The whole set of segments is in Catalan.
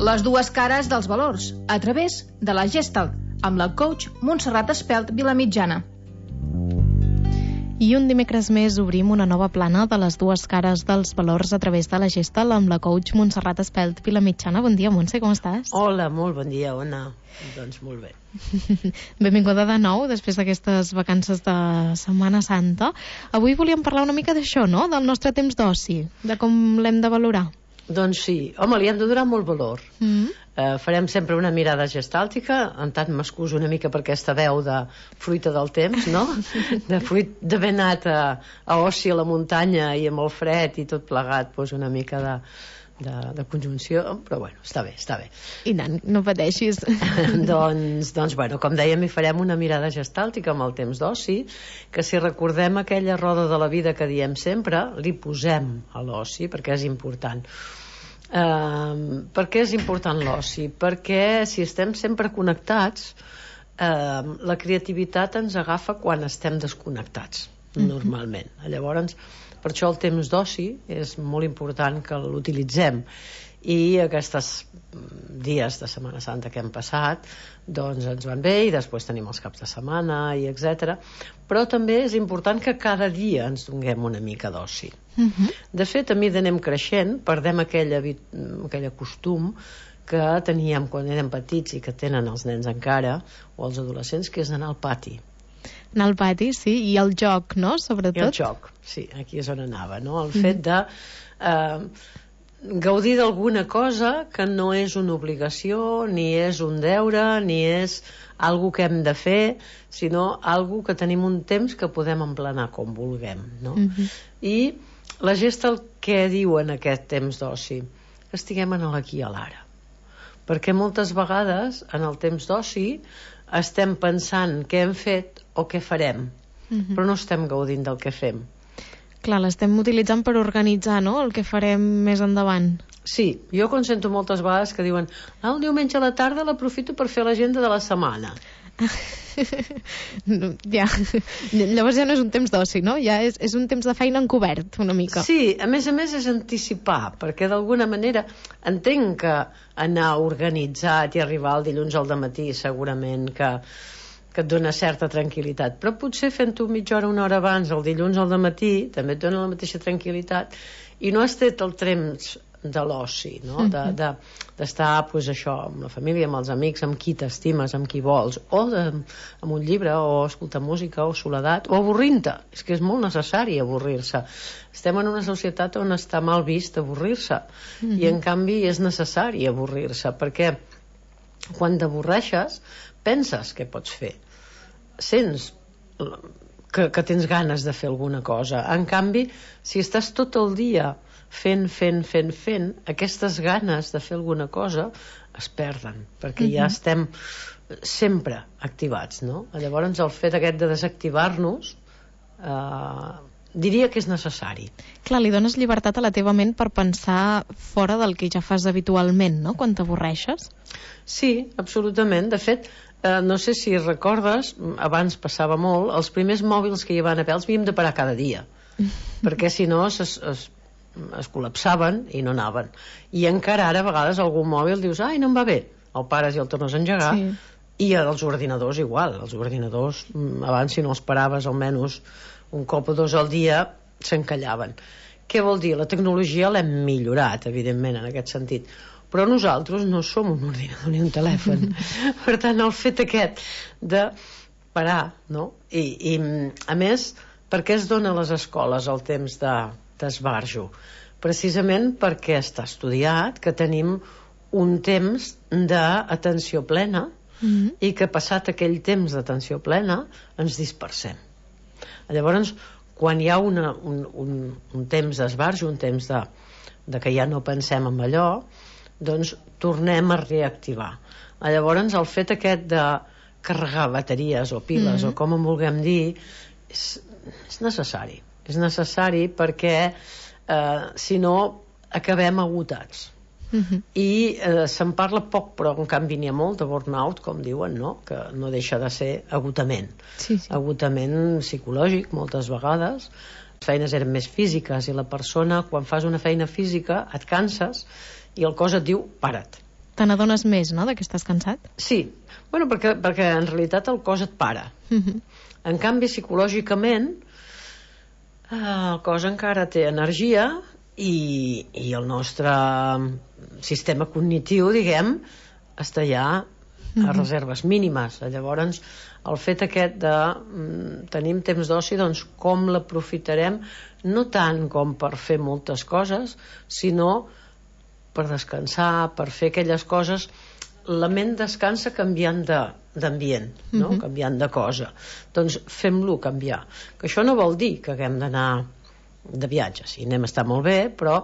Les dues cares dels valors, a través de la Gestalt, amb la coach Montserrat Espelt Vilamitjana. I un dimecres més obrim una nova plana de les dues cares dels valors a través de la Gestalt amb la coach Montserrat Espelt Vilamitjana. Bon dia, Montse, com estàs? Hola, molt bon dia, Ona. Doncs molt bé. Benvinguda de nou, després d'aquestes vacances de Setmana Santa. Avui volíem parlar una mica d'això, no?, del nostre temps d'oci, de com l'hem de valorar. Doncs sí, home, li hem de donar molt valor. Farem sempre una mirada gestàltica, en tant m'excuso una mica per aquesta veu de fruita del temps, no? De fruit d'haver anat a oci a la muntanya i amb el fred i tot plegat, doncs una mica de conjunció, però bueno, està bé. I tant, no pateixis. Doncs bueno, com dèiem, hi farem una mirada gestàltica amb el temps d'oci, que si recordem aquella roda de la vida que diem sempre, li posem a l'oci, perquè és important. Per què és important l'oci? Perquè si estem sempre connectats, la creativitat ens agafa quan estem desconnectats, normalment. Llavors, per això el temps d'oci és molt important que l'utilitzem, i aquests dies de Setmana Santa que hem passat doncs ens van bé, i després tenim els caps de setmana i etc. Però també és important que cada dia ens donem una mica d'oci. De fet, a mesura anem creixent, perdem aquell costum que teníem quan érem petits i que tenen els nens encara, o els adolescents, que és anar al pati. Anar al pati, sí, i el joc, no?, sobretot. I el joc, sí, aquí és on anava, no? El fet de gaudir d'alguna cosa que no és una obligació, ni és un deure, ni és algo que hem de fer, sinó algo que tenim un temps que podem emplenar com vulguem, no? I la Gestalt què diu en aquest temps d'oci? Que estiguem en l'aquí i a l'ara. Perquè moltes vegades en el temps d'oci estem pensant què hem fet o què farem, però no estem gaudint del que fem. Clar, l'estem utilitzant per organitzar, no?, el que farem més endavant. Sí, jo consento moltes vegades que diuen el diumenge a la tarda l'aprofito per fer l'agenda de la setmana. Ja. Llavors ja no és un temps d'oci, no? Ja és un temps de feina encobert, una mica. Sí, a més és anticipar, perquè d'alguna manera entenc que anar organitzat i arribar el dilluns al dematí segurament que et dona certa tranquil·litat, però potser fent-ho mitja hora, una hora abans, el dilluns al dematí, també et dona la mateixa tranquil·litat, i no has tret el temps de l'oci, no? D'estar, doncs això, amb la família, amb els amics, amb qui t'estimes, amb qui vols, o amb un llibre, o escoltar música, o soledat, o avorrint-te. És que és molt necessari avorrir-se. Estem en una societat on està mal vist avorrir-se, i en canvi és necessari avorrir-se, perquè quan t'avorreixes penses què pots fer, sents que tens ganes de fer alguna cosa. En canvi, si estàs tot el dia fent, aquestes ganes de fer alguna cosa es perden, perquè ja estem sempre activats, no? Llavors el fet aquest de desactivar-nos diria que és necessari. Clar, li dones llibertat a la teva ment per pensar fora del que ja fas habitualment, no?, quan t'avorreixes. Sí, absolutament. De fet, no sé si recordes, abans passava molt, els primers mòbils que hi van haver els havíem de parar cada dia, perquè si no es col·lapsaven i no anaven. I encara ara a vegades algun mòbil dius, ai, no em va bé, el pares i el tornes a engegar. I els ordinadors igual, els ordinadors abans, si no els paraves almenys un cop o dos al dia, s'encallaven. Què vol dir? La tecnologia l'hem millorat, evidentment, en aquest sentit, però nosaltres no som un ordinador ni un telèfon. Per tant, el fet aquest de parar, no? I a més, per què es dona a les escoles el temps d'esbarjo? Precisament perquè està estudiat que tenim un temps d'atenció plena, i que passat aquell temps d'atenció plena ens dispersem. Llavors, quan hi ha un temps d'esbarjo, un temps de que ja no pensem en allò, doncs tornem a reactivar. Llavors el fet aquest de carregar bateries o piles o com en vulguem dir és necessari perquè si no acabem agotats. I se'n parla poc, però en canvi n'hi ha molt de burnout, com diuen, no? Que no deixa de ser agotament. Agotament psicològic moltes vegades. Les feines eren més físiques i la persona, quan fas una feina física, et canses i el cos et diu para't. Te n'adones més, no?, que estàs cansat? Sí, bueno, perquè en realitat el cos et para. En canvi, psicològicament, el cos encara té energia i el nostre sistema cognitiu, diguem, està ja a reserves mínimes. Llavors, el fet aquest de tenim temps d'oci, doncs com l'aprofitarem, no tant com per fer moltes coses, sinó per descansar, per fer aquelles coses. La ment descansa canviant d'ambient, no? Canviant de cosa. Doncs fem-lo canviar. Que això no vol dir que haguem d'anar de viatge. Sí, anem a estar molt bé, però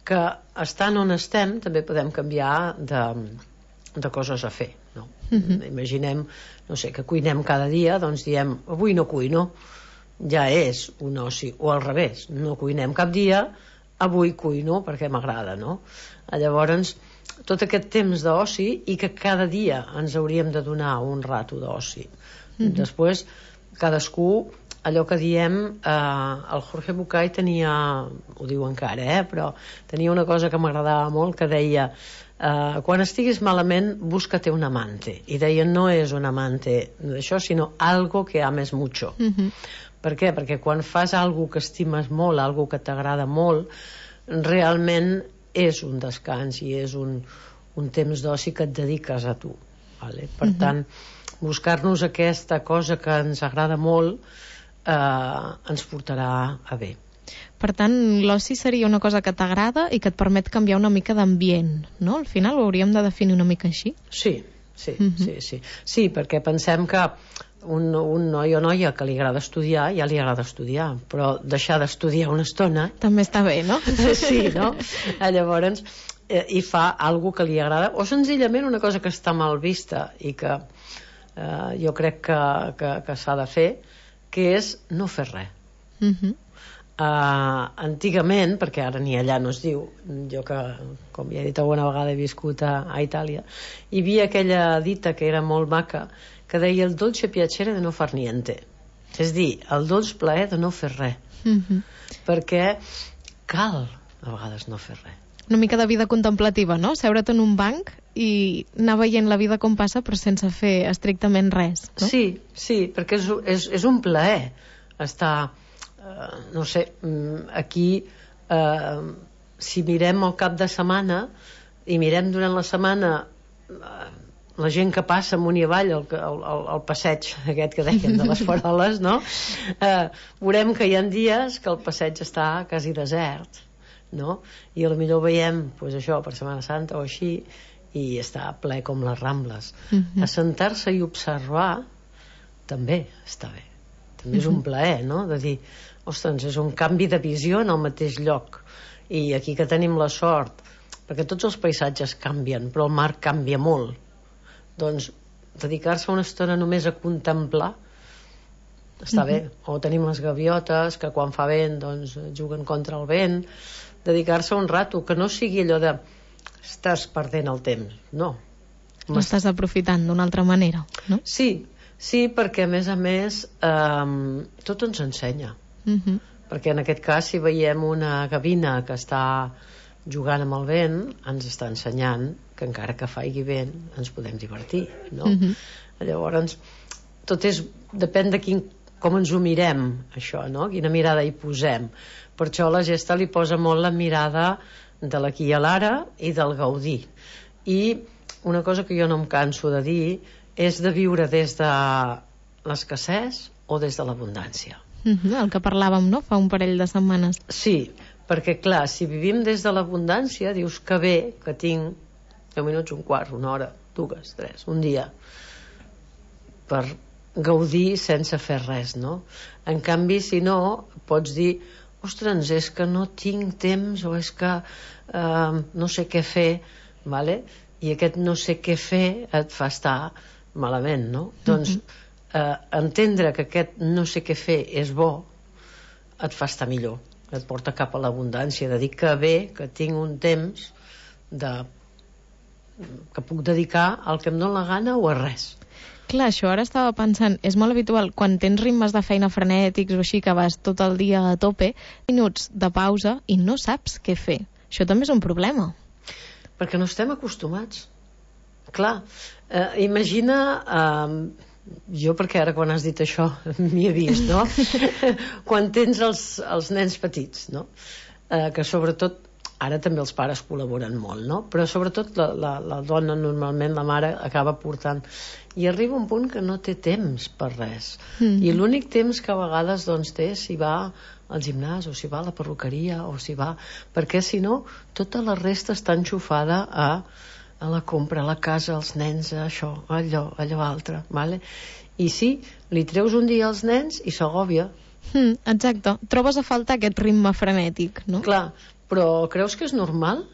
que estant on estem també podem canviar de coses a fer, no? Imaginem, no sé, que cuinem cada dia, doncs diem, avui no cuino, ja és un oci, o al revés, no cuinem cap dia, avui cuino perquè m'agrada, no? Llavors, tot aquest temps d'oci, i que cada dia ens hauríem de donar un rato d'oci. Després, cadascú, allò que diem, el Jorge Bucay tenia, ho diu encara, però tenia una cosa que m'agradava molt, que deia, quan estiguis malament, búscate un amante. I deia, no és un amante d'això, sinó algo que ames mucho. Per què? Perquè quan fas algo que estimes molt, algo que t'agrada molt, realment és un descans i és un temps d'oci que et dediques a tu, vale? Per tant, buscar-nos aquesta cosa que ens agrada molt ens portarà a bé. Per tant, l'oci seria una cosa que t'agrada i que et permet canviar una mica d'ambient, no? Al final ho hauríem de definir una mica així. Sí, perquè pensem que un noi o noia que li agrada estudiar, ja li agrada estudiar, però deixar d'estudiar una estona també està bé, no? Sí, no? Llavors i fa alguna que li agrada, o senzillament una cosa que està mal vista i que jo crec que s'ha de fer, que és no fer res. Antigament, perquè ara ni allà no es diu, jo que, com ja he dit alguna vegada, he viscut a Itàlia, hi havia aquella dita que era molt maca, que deia el dolce piacere de no far niente, és dir, el dolç plaer de no fer res, perquè cal a vegades no fer res. Una mica de vida contemplativa, no? Seure't en un banc i anar veient la vida com passa però sense fer estrictament res, no? Sí, perquè és un plaer estar, no sé, aquí, si mirem el cap de setmana i mirem durant la setmana la gent que passa amunt i avall el passeig aquest que dèiem de les faroles, no? Veurem que hi ha dies que el passeig està quasi desert, no? I potser veiem, doncs això, per Setmana Santa o així, i està ple com les Rambles. Assentar-se i observar també està bé, també és un plaer, no? De dir, ostres, és un canvi de visió en el mateix lloc, i aquí que tenim la sort, perquè tots els paisatges canvien, però el mar canvia molt, doncs dedicar-se una estona només a contemplar està bé. O tenim les gaviotes que quan fa vent doncs juguen contra el vent. Dedicar-se un rato, que no sigui allò de estàs perdent el temps, no. L'estàs aprofitant d'una altra manera, no? Sí, perquè a més tot ens ensenya. Perquè en aquest cas, si veiem una gavina que està jugant amb el vent, ens està ensenyant que encara que faigui vent ens podem divertir, no? Llavors tot depèn de com ens ho mirem, això, no? Quina mirada hi posem. Per això la Gesta li posa molt la mirada de l'aquí i l'ara i del gaudir. I una cosa que jo no em canso de dir és de viure des de l'escassez o des de l'abundància. El que parlàvem, no?, fa un parell de setmanes. Sí, perquè clar, si vivim des de l'abundància, dius que bé que tinc 10 minuts, un quart, una hora, 2, 3, un dia per gaudir sense fer res, no? En canvi, si no, pots dir, ostres, és que no tinc temps, o és que no sé què fer, vale? I aquest no sé què fer et fa estar malament, no? Doncs entendre que aquest no sé què fer és bo et fa estar millor, et porta cap a l'abundància, de dir que bé que tinc un temps que puc dedicar al que em dóna la gana o a res. Clar, això ara estava pensant, és molt habitual quan tens ritmes de feina frenètics o així, que vas tot el dia a tope, minuts de pausa i no saps què fer. Això també és un problema. Perquè no estem acostumats. Clar, imagina... jo, perquè ara quan has dit això m'hi he vist, no? Quan tens els nens petits, no? Que sobretot, ara també els pares col·laboren molt, no? Però sobretot la dona, normalment la mare, acaba portant, i arriba un punt que no té temps per res, i l'únic temps que a vegades doncs té si va al gimnàs, o si va a la perruqueria, o si va... perquè si no, tota la resta està enxufada a la compra, a la casa, als nens, això, allò altre, vale? I sí, li treus un dia als nens i s'agòbia. Exacte, trobes a faltar aquest ritme frenètic, no? Clar, però creus que és normal?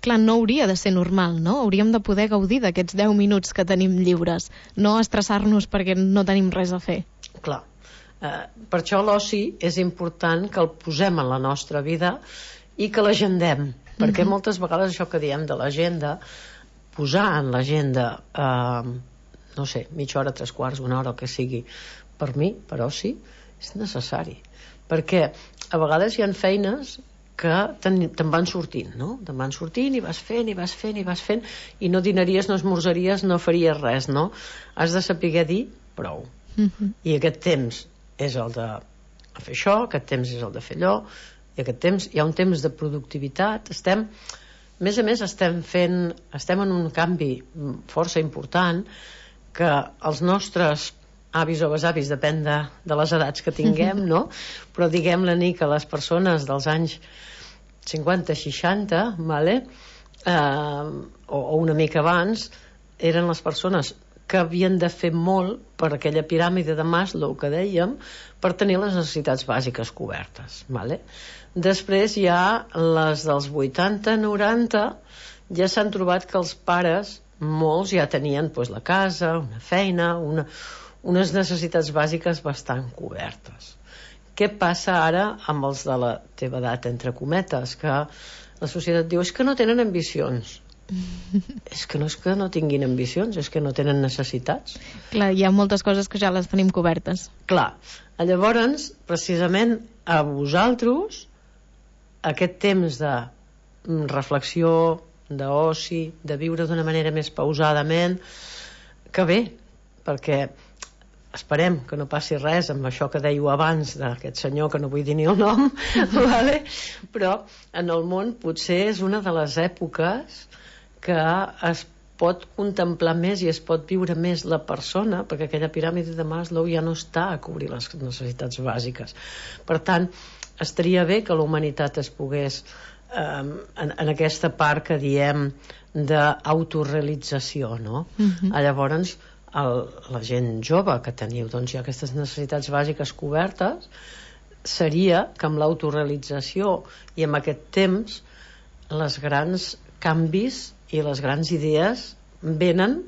Clar, no hauria de ser normal, no? Hauríem de poder gaudir d'aquests 10 minuts que tenim lliures, no estressar-nos perquè no tenim res a fer. Clar, per això l'oci és important que el posem en la nostra vida i que l'agendem, perquè moltes vegades això que diem de l'agenda, posar en l'agenda no sé, mitja hora, 3/4, una hora, el que sigui, per mi, per oci, és necessari, perquè a vegades hi ha feines que te'n van sortint, no? Te'n van sortint i vas fent i no dinaries, no esmorzaries, no faries res, no? Has de saber dir prou, i aquest temps és el de fer això, aquest temps és el de fer allò, i aquest temps, hi ha un temps de productivitat, a més estem en un canvi força important, que els nostres avis o besavis, depèn de les edats que tinguem, no? Però diguem-ne que les persones dels anys 50-60, vale? O una mica abans, eren les persones que havien de fer molt per aquella piràmide de Maslow que dèiem, per tenir les necessitats bàsiques cobertes, vale? Després hi ha les dels 80-90, ja s'han trobat que els pares, molts ja tenien la casa, una feina, unes necessitats bàsiques bastant cobertes. Què passa ara amb els de la teva edat, entre cometes, que la societat diu és que no tenen ambicions? És que no tinguin ambicions, és que no tenen necessitats. Clar, hi ha moltes coses que ja les tenim cobertes. Clar, llavors, precisament a vosaltres, aquest temps de reflexió, d'oci, de viure d'una manera més pausadament, que bé, perquè esperem que no passi res amb això que dèieu abans d'aquest senyor, que no vull dir ni el nom, vale? Però en el món potser és una de les èpoques que es pot contemplar més i es pot viure més la persona, perquè aquella piràmide de Maslow ja no està a cobrir les necessitats bàsiques. Per tant, estaria bé que la humanitat es pogués en aquesta part que diem d'autorealització, no? Llavors la gent jove que teniu ja aquestes necessitats bàsiques cobertes, seria que amb l'autorealització i amb aquest temps les grans canvis i les grans idees venen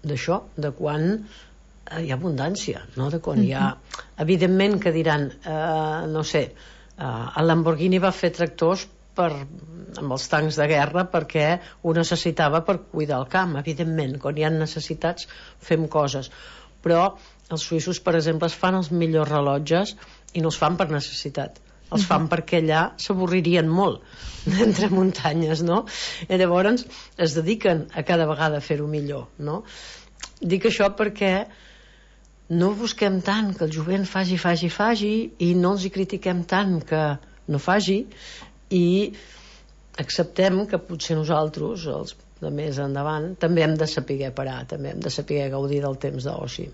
d'això, de quan hi ha abundància, no? De quan hi ha... Evidentment que diran, no sé, el Lamborghini va fer tractors amb els tancs de guerra perquè ho necessitava per cuidar el camp. Evidentment, quan hi ha necessitats fem coses, però els suïssos, per exemple, es fan els millors rellotges i no els fan per necessitat, els fan perquè allà s'avorririen molt entre muntanyes, no? I llavors es dediquen a cada vegada a fer-ho millor, no? Dic això perquè no busquem tant que el jovent faci i no els hi critiquem tant que no faci, i acceptem que potser nosaltres, els de més endavant, també hem de saber parar, també hem de saber gaudir del temps d'oci.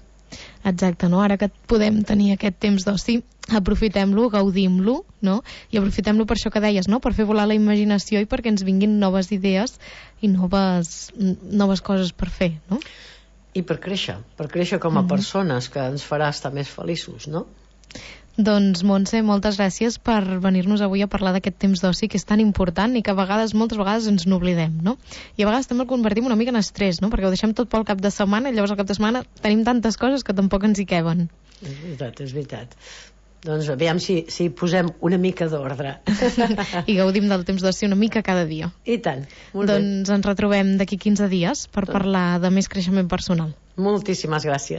Exacte, no? Ara que podem tenir aquest temps d'oci, aprofitem-lo, gaudim-lo, no? I aprofitem-lo per això que deies, no? Per fer volar la imaginació i perquè ens vinguin noves idees i noves coses per fer, no? I per créixer com a persones, que ens farà estar més feliços, no? Doncs, Montse, moltes gràcies per venir-nos avui a parlar d'aquest temps d'oci que és tan important i que moltes vegades ens n'oblidem, no? I a vegades també el convertim una mica en estrès, no? Perquè ho deixem tot pel cap de setmana i llavors al cap de setmana tenim tantes coses que tampoc ens hi queben. És veritat. Doncs aviam si posem una mica d'ordre. I gaudim del temps d'oci una mica cada dia. I tant. Molt bé. Doncs ens retrobem d'aquí 15 dies per parlar de més creixement personal. Moltíssimes gràcies.